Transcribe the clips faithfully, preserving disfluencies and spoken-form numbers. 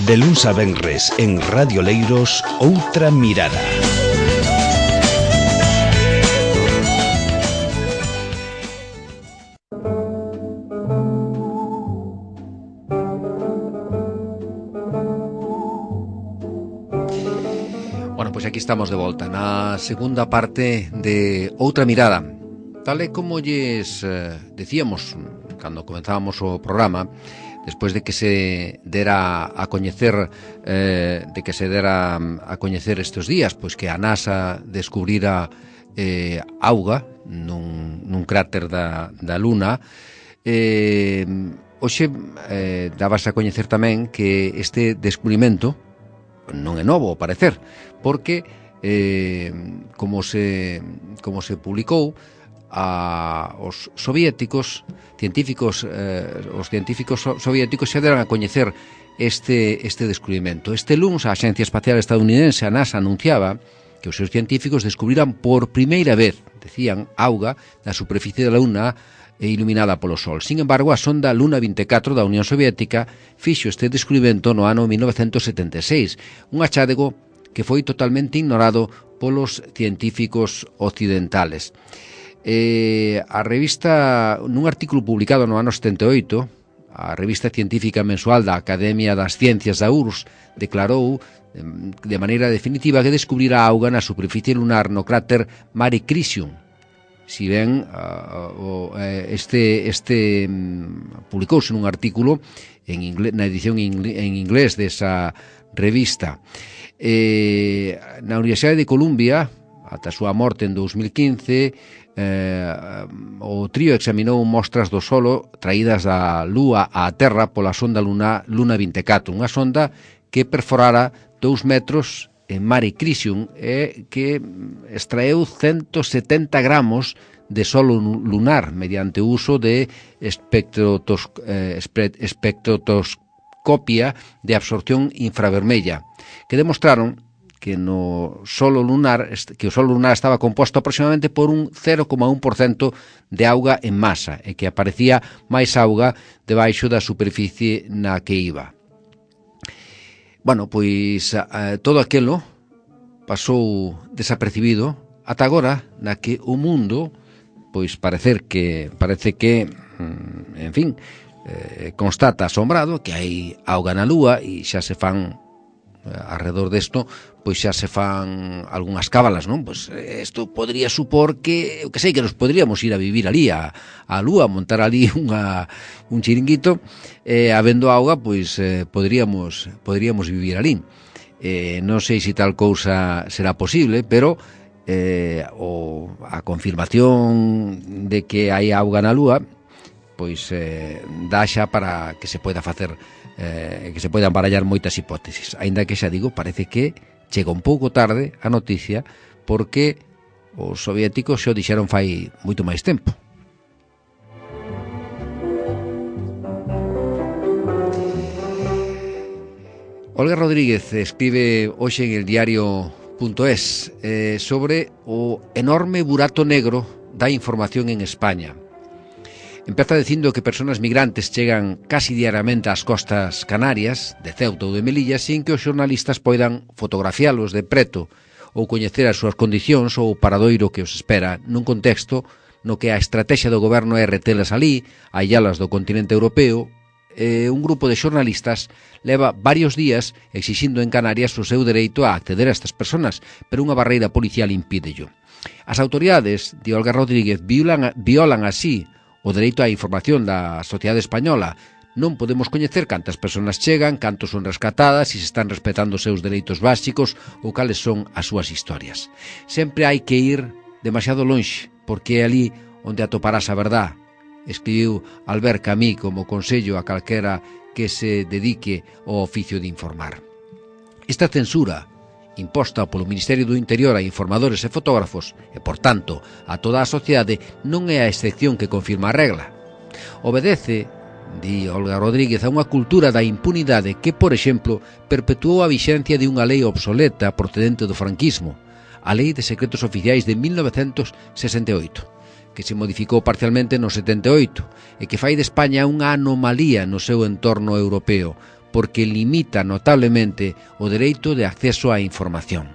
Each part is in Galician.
De luns a venres en Radio Leiros, Outra Mirada. Bueno, pois aquí estamos de volta na segunda parte de Outra Mirada. Tal e como lles eh, decíamos cando comenzábamos o programa, despois de que se dera a coñecer eh, de que se dera a coñecer estes días, pois que a NASA descubrira eh, auga nun, nun cráter da, da Luna, eh, hoxe eh, dabase a coñecer tamén que este descubrimento non é novo, ao parecer, porque eh, como se como se publicou, a os soviéticos científicos eh, os científicos so, soviéticos xa deran a coñecer este este descubrimento. Este luns a Axencia Espacial Estadounidense, a NASA, anunciaba que os seus científicos descubriran por primeira vez, decían, auga na superficie da Luna iluminada polo Sol. Sin embargo, a sonda Luna vinte e catro da Unión Soviética fixo este descubrimento no ano mil novecentos setenta e seis, un achádego que foi totalmente ignorado polos científicos occidentales. Eh, a revista, nun artículo publicado no ano setenta e oito, a revista científica mensual da Academia das Ciencias da U R S S declarou de maneira definitiva que descubrira auga na superficie lunar no cráter Mare Crisium. Si ben uh, este, este um, publicouse nun artículo en inglés, na edición en inglés desa revista. Eh, na Universidade de Columbia, ata a súa morte en dous mil quince, eh, o trío examinou mostras do solo traídas da Lúa á Terra pola sonda Luna, Luna vinte e catro, unha sonda que perforara dous metros en Mare Crisium e que extraeu ciento setenta gramos de solo lunar mediante o uso de espectrotos, eh, espectroscopia de absorción infravermella, que demostraron que no solo lunar que o solo lunar estaba composto aproximadamente por un cero coma un por cento de auga en masa e que aparecía máis auga debaixo da superficie na que iba. Bueno, pois eh, todo aquilo pasou desapercibido ata agora, na que o mundo pois parecer que parece que en fin, eh, constata asombrado que hai auga na Lúa e xa se fan alrededor desto, pois xa se fan algunhas cábalas, non? Pois isto podría supor que, eu que sei, que nos podríamos ir a vivir ali a, a Lúa, montar ali unha, un chiringuito, eh, habendo auga, pois eh, podríamos podríamos vivir ali. Eh, non sei se tal cousa será posible, pero eh, o, a confirmación de que hai auga na Lúa, pois eh, dá xa para que se poida facer eh, que se poidan barallar moitas hipótesis, aínda que xa digo, parece que chega un pouco tarde a noticia, porque os soviéticos xa o dixeron fai moito máis tempo. Olga Rodríguez escribe hoxe en el diario punto es eh, sobre o enorme burato negro da información en España. Empeza dicindo que persoas migrantes chegan casi diariamente ás costas canarias, de Ceuta ou de Melilla, sin que os xornalistas poidan fotografialos de preto ou coñecer as súas condicións ou o paradoiro que os espera nun contexto no que a estrategia do goberno é retelas ali, aillalas do continente europeo. Eh, un grupo de xornalistas leva varios días exixindo en Canarias o seu dereito a acceder a estas persoas, pero unha barreira policial impídello. As autoridades, di Olga Rodríguez, violan, violan así o dereito á información da sociedade española. Non podemos coñecer cantas persoas chegan, cantos son rescatadas, se si están respetando os seus dereitos básicos ou cales son as súas historias. Sempre hai que ir demasiado lonxe, porque é ali onde atoparás a verdad, escribiu Albert Camus como consello a calquera que se dedique ao oficio de informar. Esta censura imposta polo Ministerio do Interior a informadores e fotógrafos e, por tanto, a toda a sociedade, non é a excepción que confirma a regla. Obedece, di Olga Rodríguez, a unha cultura da impunidade que, por exemplo, perpetuou a vixencia de unha lei obsoleta procedente do franquismo, a Lei de Secretos Oficiais de mil novecentos sesenta e oito, que se modificou parcialmente no setenta e oito e que fai de España unha anomalía no seu entorno europeo, porque limita notablemente o dereito de acceso á información.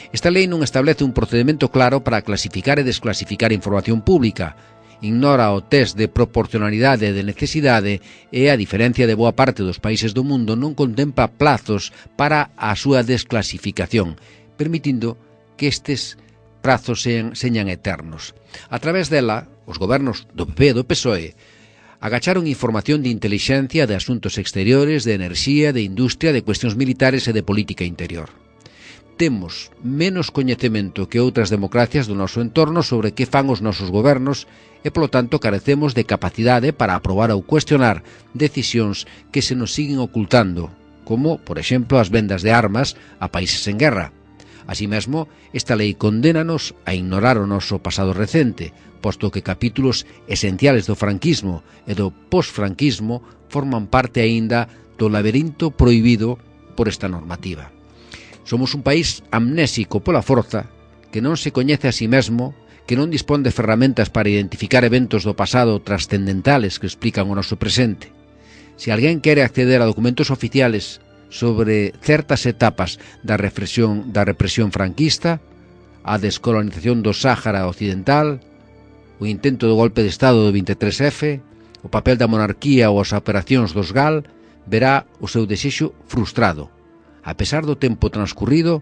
Esta lei non establece un procedimento claro para clasificar e desclasificar información pública, ignora o test de proporcionalidade e de necesidade e, a diferencia de boa parte dos países do mundo, non contempla plazos para a súa desclasificación, permitindo que estes prazos sean, señan eternos. A través dela, os gobernos do P P e do P S O E agacharon información de intelixencia, de asuntos exteriores, de enerxía, de industria, de cuestións militares e de política interior. Temos menos coñecemento que outras democracias do noso entorno sobre que fan os nosos gobernos e, polo tanto, carecemos de capacidade para aprobar ou cuestionar decisións que se nos siguen ocultando, como, por exemplo, as vendas de armas a países en guerra. Así mesmo, esta lei condénanos a ignorar o noso pasado recente, posto que capítulos esenciales do franquismo e do posfranquismo forman parte aínda do laberinto prohibido por esta normativa. Somos un país amnésico pola forza, que non se coñece a si mesmo, que non dispón de ferramentas para identificar eventos do pasado trascendentales que explican o noso presente. Se alguén quere acceder a documentos oficiales sobre certas etapas da represión, da represión franquista, a descolonización do Sáhara Occidental, o intento do golpe de Estado do vinte e tres efe, o papel da monarquía ou as operacións dos G A L, verá o seu desexo frustrado. A pesar do tempo transcurrido,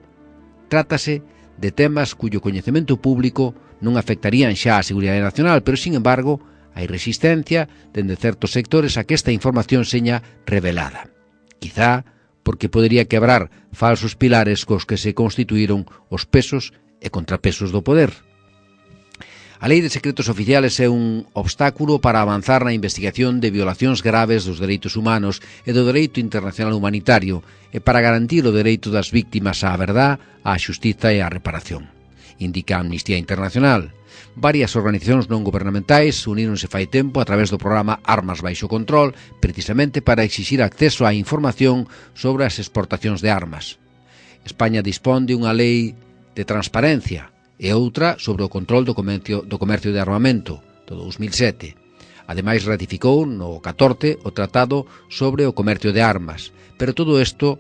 trátase de temas cuyo coñecemento público non afectarían xa a seguridade nacional, pero, sin embargo, hai resistencia dende certos sectores a que esta información seña revelada. Quizá porque podería quebrar falsos pilares cos que se constituíron os pesos e contrapesos do poder. A Lei de Secretos Oficiales é un obstáculo para avanzar na investigación de violacións graves dos dereitos humanos e do dereito internacional humanitario e para garantir o dereito das víctimas á verdad, á xustiza e á reparación, indica a Amnistía Internacional. Varias organizacións non gubernamentais uníronse fai tempo a través do programa Armas baixo control, precisamente para exixir acceso á información sobre as exportacións de armas. España dispón de unha lei de transparencia e outra sobre o control do comercio, do comercio de armamento, do dos mil sete. Ademais, ratificou no catorce o Tratado sobre o comercio de armas, pero todo isto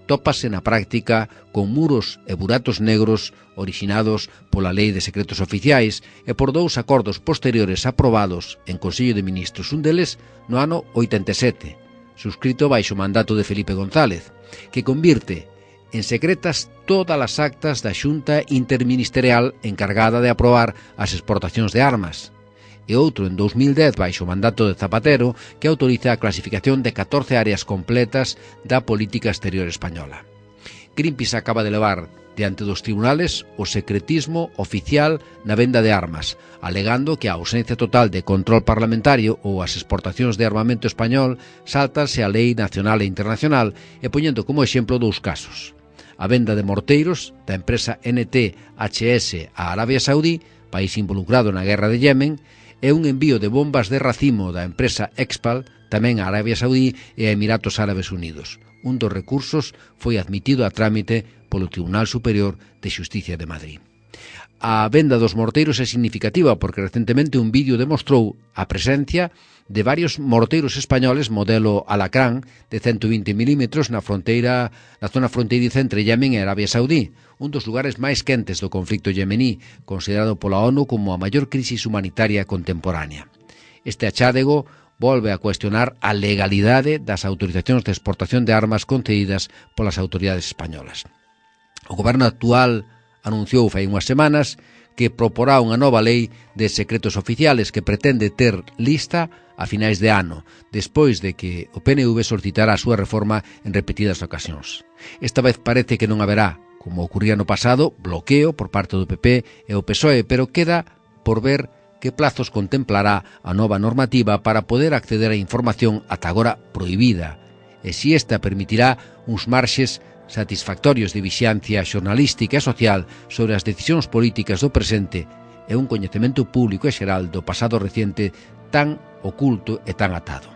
tópase na práctica con muros e buratos negros originados pola Lei de Secretos Oficiais e por dous acordos posteriores aprobados en Consello de Ministros, un deles no ano oitenta e sete, suscrito baixo o mandato de Felipe González, que convirte en secretas todas as actas da Xunta Interministerial encargada de aprobar as exportacións de armas, e outro en dos mil dez baixo o mandato de Zapatero que autoriza a clasificación de catorce áreas completas da política exterior española. Greenpeace acaba de levar diante dos tribunales o secretismo oficial na venda de armas, alegando que a ausencia total de control parlamentario ou as exportacións de armamento español saltanse a lei nacional e internacional e poñendo como exemplo dous casos: a venda de morteiros da empresa N T H S a Arabia Saudí, país involucrado na guerra de Yemen, e un envío de bombas de racimo da empresa Expal, tamén a Arabia Saudí e a Emiratos Árabes Unidos. Un dos recursos foi admitido a trámite polo Tribunal Superior de Xusticia de Madrid. A venda dos morteiros é significativa porque recentemente un vídeo demostrou a presencia de varios morteiros españoles modelo Alacrán de ciento vinte milímetros na fronteira, na zona fronteiriza entre Yemen e Arabia Saudí, un dos lugares máis quentes do conflicto yemení, considerado pola ONU como a maior crisis humanitaria contemporánea. Este achádego volve a cuestionar a legalidade das autorizacións de exportación de armas concedidas polas autoridades españolas. O goberno actual anunciou fai unhas semanas que proporá unha nova lei de secretos oficiales que pretende ter lista a finais de ano, despois de que o P N V solicitara a súa reforma en repetidas ocasións. Esta vez parece que non haberá, como ocurría no pasado, bloqueo por parte do P P e o P S O E, pero queda por ver que plazos contemplará a nova normativa para poder acceder á información ata agora prohibida, e se esta permitirá uns marxes satisfactorios de vixiancia xornalística e social sobre as decisións políticas do presente e un coñecemento público e xeral do pasado reciente tan oculto e tan atado.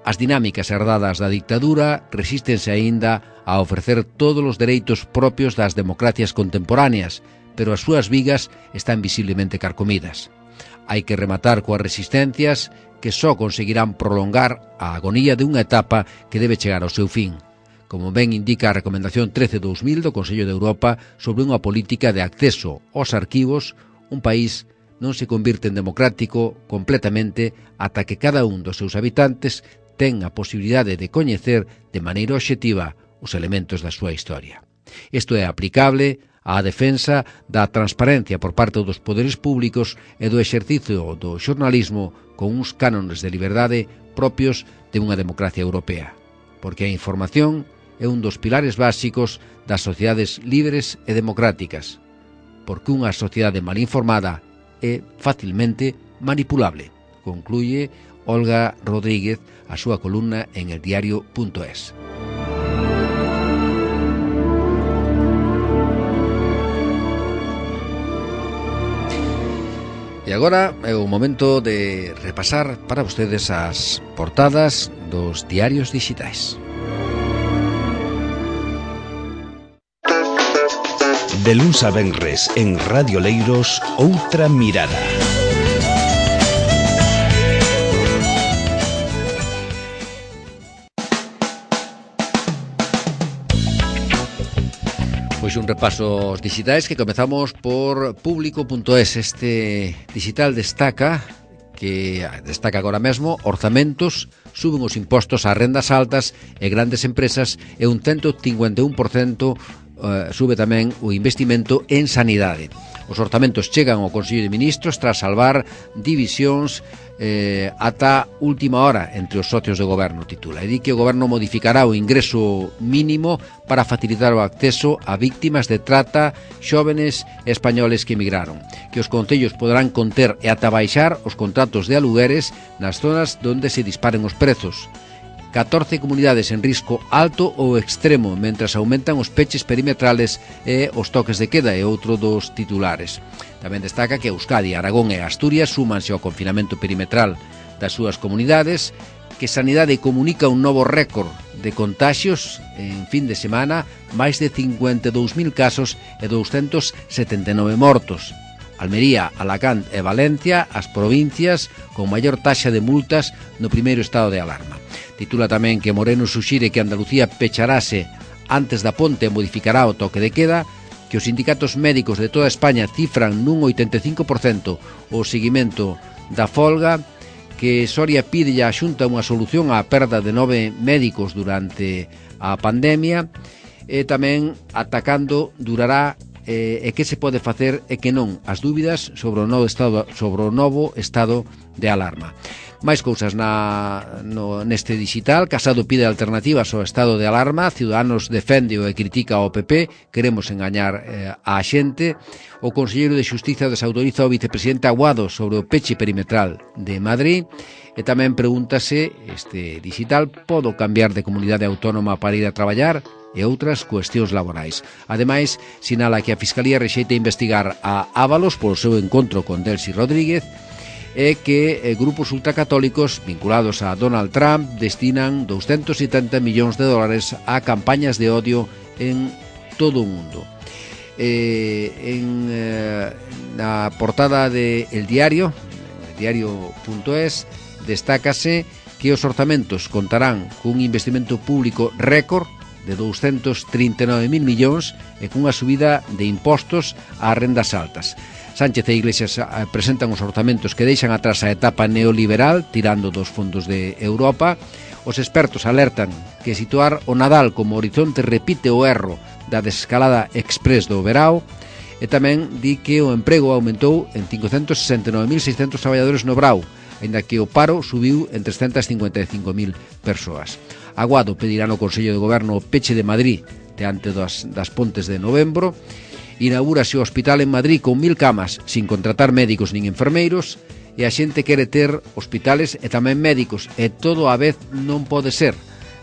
As dinámicas herdadas da dictadura resístense aínda a ofrecer todos os dereitos propios das democracias contemporáneas, pero as súas vigas están visiblemente carcomidas. Hai que rematar coas resistencias que só conseguirán prolongar a agonía de unha etapa que debe chegar ao seu fin, como ben indica a Recomendación trece barra dos mil do Consello de Europa sobre unha política de acceso aos arquivos. Un país non se convirte en democrático completamente ata que cada un dos seus habitantes ten a posibilidade de coñecer de maneira obxectiva os elementos da súa historia. Isto é aplicable á defensa da transparencia por parte dos poderes públicos e do exercicio do xornalismo con uns cánones de liberdade propios de unha democracia europea, porque a información é un dos pilares básicos das sociedades libres e democráticas, porque unha sociedade mal informada é facilmente manipulable, concluye Olga Rodríguez a súa columna en el diario punto es. E agora é o momento de repasar para vostedes as portadas dos diarios digitais. De luns a venres en Radio Leiros, Outra Mirada. Pois un repaso aos digitais que comezamos por público punto es. Este digital destaca que destaca agora mesmo orzamentos, suben os impostos ás rendas altas e grandes empresas e un cento cincuenta e un por cento uh, sube tamén o investimento en sanidade. Os orzamentos chegan ao Consello de Ministros tras salvar divisións eh, ata última hora entre os socios de goberno, titula. E di que o goberno modificará o ingreso mínimo para facilitar o acceso a víctimas de trata, xóvenes españoles que emigraron. Que os concellos poderán conter e ata baixar os contratos de alugueres nas zonas onde se disparen os prezos. catorce comunidades en risco alto ou extremo, mentras aumentan os peches perimetrales e os toques de queda, é outro dos titulares. Tamén destaca que Euskadi, Aragón e Asturias súmanse ao confinamento perimetral das súas comunidades, que Sanidade comunica un novo récord de contaxios en fin de semana, máis de cincuenta e dous mil casos e douscentos setenta e nove mortos. Almería, Alacant e Valencia, as provincias con maior taxa de multas no primeiro estado de alarma. Titula tamén que Moreno suxire que Andalucía pecharase antes da ponte e modificará o toque de queda, que os sindicatos médicos de toda España cifran nun oitenta e cinco por cento o seguimento da folga, que Soria pide á Xunta unha solución á perda de nove médicos durante a pandemia, e tamén atacando durará e, e que se pode facer e que non, as dúbidas sobre o novo estado, sobre o novo estado de alarma. Máis cousas na, no, neste digital. Casado pide alternativas ao estado de alarma, Ciudadanos defende e critica ao P P, queremos engañar eh, á xente. O Conselleiro de Xustiza desautoriza ao vicepresidente Aguado sobre o peche perimetral de Madrid. E tamén pregúntase, este digital, podo cambiar de comunidade autónoma para ir a traballar? E outras cuestións laborais. Ademais, sinala que a Fiscalía rexeita investigar a Ábalos polo seu encontro con Delcy Rodríguez, e que eh, grupos ultracatólicos vinculados a Donald Trump destinan doscientos setenta millóns de dólares a campañas de odio en todo o mundo. Eh, en eh, na portada de El Diario, el diario punto es, destácase que os orzamentos contarán cun investimento público récord de doscientos trinta e nove mil millóns e cunha subida de impostos ás rendas altas. Sánchez e Iglesias presentan os orzamentos que deixan atrás a etapa neoliberal, tirando dos fondos de Europa. Os expertos alertan que situar o Nadal como horizonte repite o erro da desescalada express do verao, e tamén di que o emprego aumentou en cincocentos sesenta e nove mil seiscentos traballadores no Brao, aínda que o paro subiu en trescentos cincuenta e cinco mil persoas. Aguado pedirá no Consello de Goberno o peche de Madrid diante das, das pontes de novembro. Inaugúrase o hospital en Madrid con mil camas sin contratar médicos nin enfermeiros, e a xente quere ter hospitales e tamén médicos, e todo a vez non pode ser.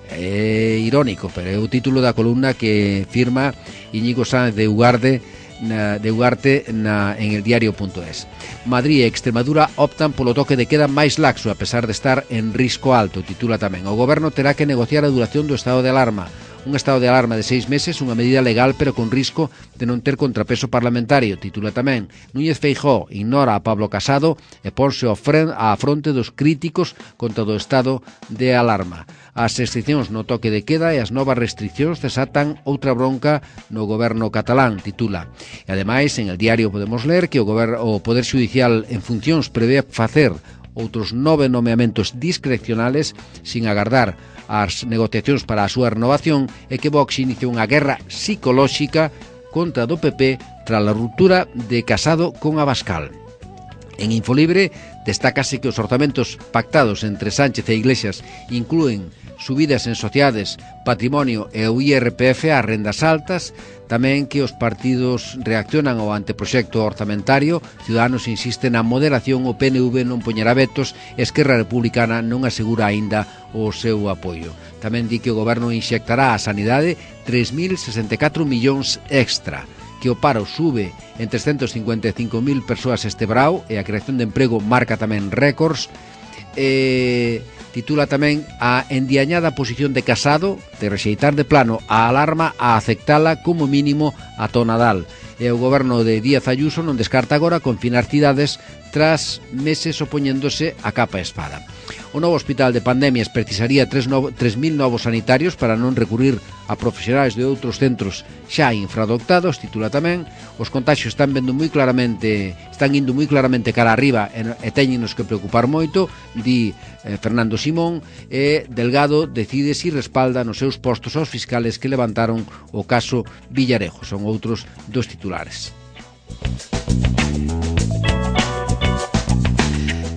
É irónico, pero é o título da columna que firma Íñigo Sáenz de Ugarte na, de Ugarte na, en el diario punto es. Madrid e Extremadura optan polo toque de queda máis laxo a pesar de estar en risco alto, titula tamén. O goberno terá que negociar a duración do estado de alarma. Un estado de alarma de seis meses, unha medida legal pero con risco de non ter contrapeso parlamentario. Titula tamén: Núñez Feijóo ignora a Pablo Casado e ponse á fronte dos críticos contra o estado de alarma. As restriccións no toque de queda e as novas restriccións desatan outra bronca no goberno catalán, titula. E ademais, en el diario podemos ler que o, gober- o Poder Judicial en funcións prevé facer outros nove nomeamentos discrecionales sin agardar as negociacións para a súa renovación e que Vox inicia unha guerra psicolóxica contra do P P tras a ruptura de Casado con Abascal. En Infolibre destácase que os orzamentos pactados entre Sánchez e Iglesias inclúen subidas en sociedades, patrimonio e o I R P F ás rendas altas, tamén que os partidos reaccionan ao anteproxecto orzamentario. Ciudadanos insiste na moderación, o P N V non poñerá vetos, Esquerra Republicana non asegura aínda o seu apoio. Tamén di que o goberno inxectará á sanidade tres mil sesenta e catro millóns extra, que o paro sube en trescentos cincuenta e cinco mil persoas este brao e a creación de emprego marca tamén récords. E titula tamén a endiañada posición de Casado de rexeitar de plano a alarma a aceptala como mínimo ata o Nadal. E o goberno de Díaz Ayuso non descarta agora confinar cidades tras meses opoñéndose a capa e espada. O novo hospital de pandemias precisaría tres mil novos sanitarios para non recurrir a profesionais de outros centros xa infradotados, titula tamén. Os contaxios están vendo moi claramente, están indo moi claramente cara arriba e, e teñenos que preocupar moito, di eh, Fernando Simón, e Delgado decide si respalda nos seus postos aos fiscales que levantaron o caso Villarejo. Son outros dos titulares.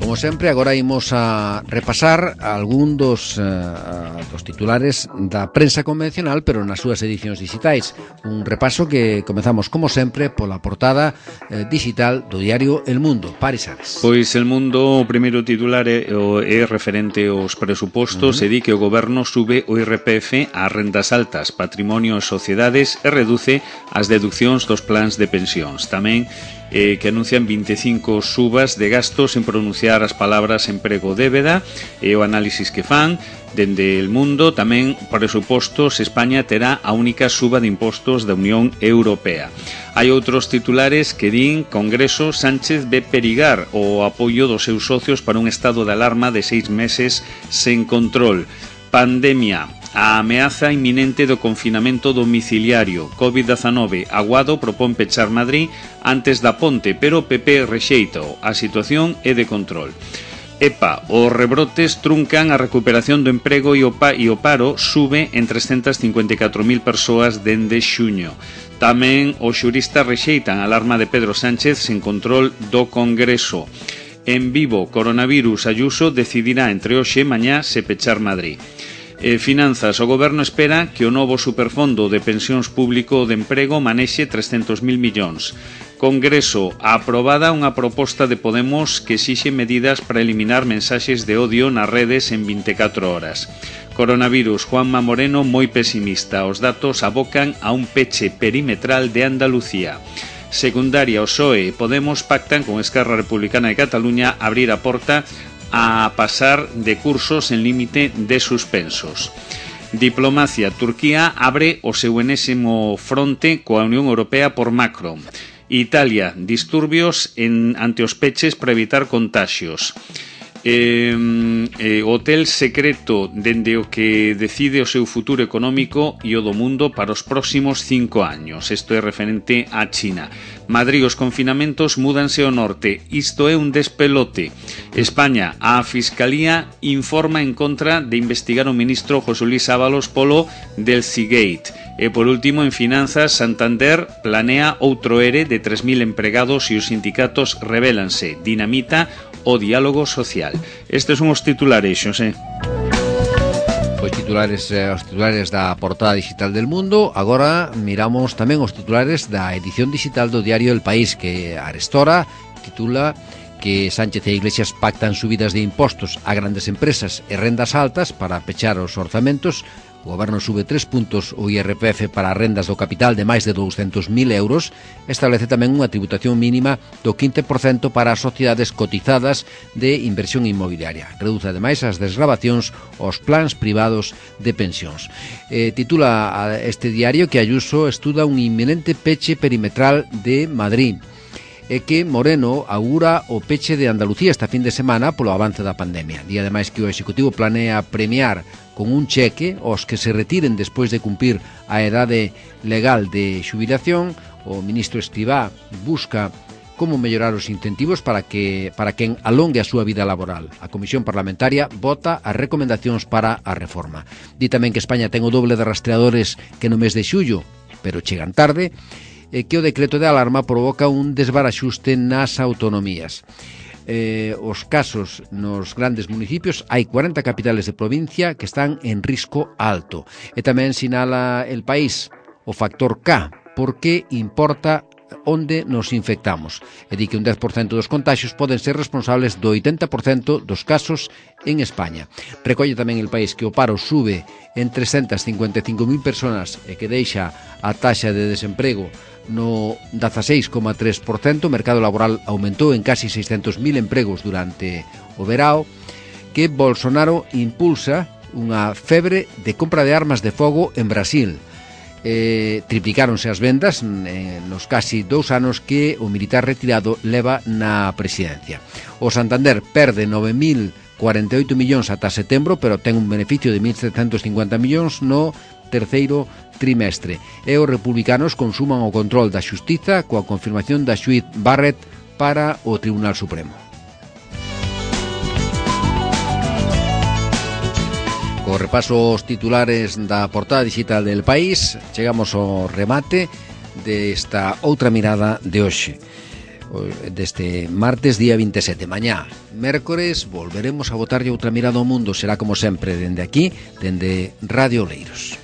Como sempre, agora imos a repasar algún dos, uh, dos titulares da prensa convencional, pero nas súas edicións digitais. Un repaso que comezamos, como sempre, pola portada uh, digital do diario El Mundo. Paris Ares. Pois El Mundo, o primeiro titular é, é referente aos presupostos, uh-huh. e di que o goberno sube o I R P F ás rendas altas, patrimonio e sociedades e reduce as deduccións dos plans de pensións. Tamén eh, que anuncian vinte e cinco subas de gastos en pronunciar as palabras emprego débeda e o análisis que fan. Dende El Mundo tamén presupostos, España terá a única suba de impostos da Unión Europea. Hai outros titulares que din: Congreso, Sánchez ve perigar o apoio dos seus socios para un estado de alarma de seis meses sen control. Pandemia, a ameaza inminente do confinamento domiciliario. covid diecinueve, Aguado propón pechar Madrid antes da ponte, pero o P P rexeita. A situación é de control. EPA, os rebrotes truncan a recuperación do emprego e o, pa, e o paro sube en trescentas cincuenta e catro mil persoas dende xuño. Tamén os xuristas rexeitan a alarma de Pedro Sánchez sen control do Congreso. En Vivo, coronavirus, Ayuso decidirá entre hoxe e mañá se pechar Madrid. Eh, finanzas, o goberno espera que o novo superfondo de pensións público de emprego manexe trescentos mil millóns. Congreso, aprobada unha proposta de Podemos que exixe medidas para eliminar mensaxes de odio nas redes en vinte e catro horas. Coronavirus, Juanma Moreno moi pesimista. Os datos abocan a un peche perimetral de Andalucía. Secundaria, o P S O E e Podemos pactan con Esquerra Republicana de Cataluña abrir a porta a pasar de cursos en límite de suspensos. Diplomacia, Turquía abre o seu enésimo fronte coa Unión Europea por Macron. Italia, disturbios en, ante os peches para evitar contaxios. Eh, eh, hotel secreto dende o que decide o seu futuro económico e o do mundo para os próximos cinco años. Isto é referente a China. Madrid, os confinamentos múdanse ao norte. Isto é un despelote. España, a Fiscalía informa en contra de investigar o ministro José Luis Ábalos polo del Seagate. E por último, en finanzas, Santander planea outro ERE de tres mil empregados e os sindicatos revélanse. Dinamita o diálogo social. Estes son os titulares, Xosé. Pois titulares, eh, os titulares da portada digital del Mundo. Agora miramos tamén os titulares da edición digital do diario El País, que arestora titula que Sánchez e Iglesias pactan subidas de impostos a grandes empresas e rendas altas para pechar os orzamentos O Goberno sube tres puntos o I R P F para rendas do capital de máis de douscentos mil euros, establece tamén unha tributación mínima do quince por cento para as sociedades cotizadas de inversión inmobiliaria. Reduce ademais as desgravacións aos plans privados de pensións. Eh, titula este diario que Ayuso estuda un inminente peche perimetral de Madrid e que Moreno augura o peche de Andalucía esta fin de semana polo avance da pandemia. Di ademais que o Executivo planea premiar con un cheque aos que se retiren despois de cumprir a edade legal de xubilación. O ministro Escrivá busca como mellorar os incentivos para que para quen alongue a súa vida laboral. A Comisión Parlamentaria vota as recomendacións para a reforma. Di tamén que España ten o doble de rastreadores que no mes de xullo, pero chegan tarde, e que o decreto de alarma provoca un desbaraxuste nas autonomías. Eh, os casos nos grandes municipios, hai cuarenta capitales de provincia que están en risco alto. E tamén sinala El País o factor K, porque importa onde nos infectamos. E di que un dez por cento dos contaxios poden ser responsables do oitenta por cento dos casos en España. Recolle tamén El País que o paro sube en trescentas cincuenta e cinco mil persoas e que deixa a taxa de desemprego no dezaseis coma tres por cento. O mercado laboral aumentou en casi seiscentos mil empregos durante o verao, que Bolsonaro impulsa unha febre de compra de armas de fogo en Brasil. Eh, triplicáronse as vendas eh, nos casi dous anos que o militar retirado leva na presidencia. O Santander perde nove mil cuarenta e oito millóns ata setembro, pero ten un beneficio de mil setecentos cincuenta millóns no terceiro trimestre. E os republicanos consuman o control da xustiza coa confirmación da xuíz Barrett para o Tribunal Supremo. Co repaso aos titulares da portada digital del País, chegamos ao remate desta outra mirada de hoxe, deste martes día vinte e sete. Mañá, mércores, volveremos a botarlle outra mirada ao mundo. Será como sempre dende aquí, dende Radio Oleiros.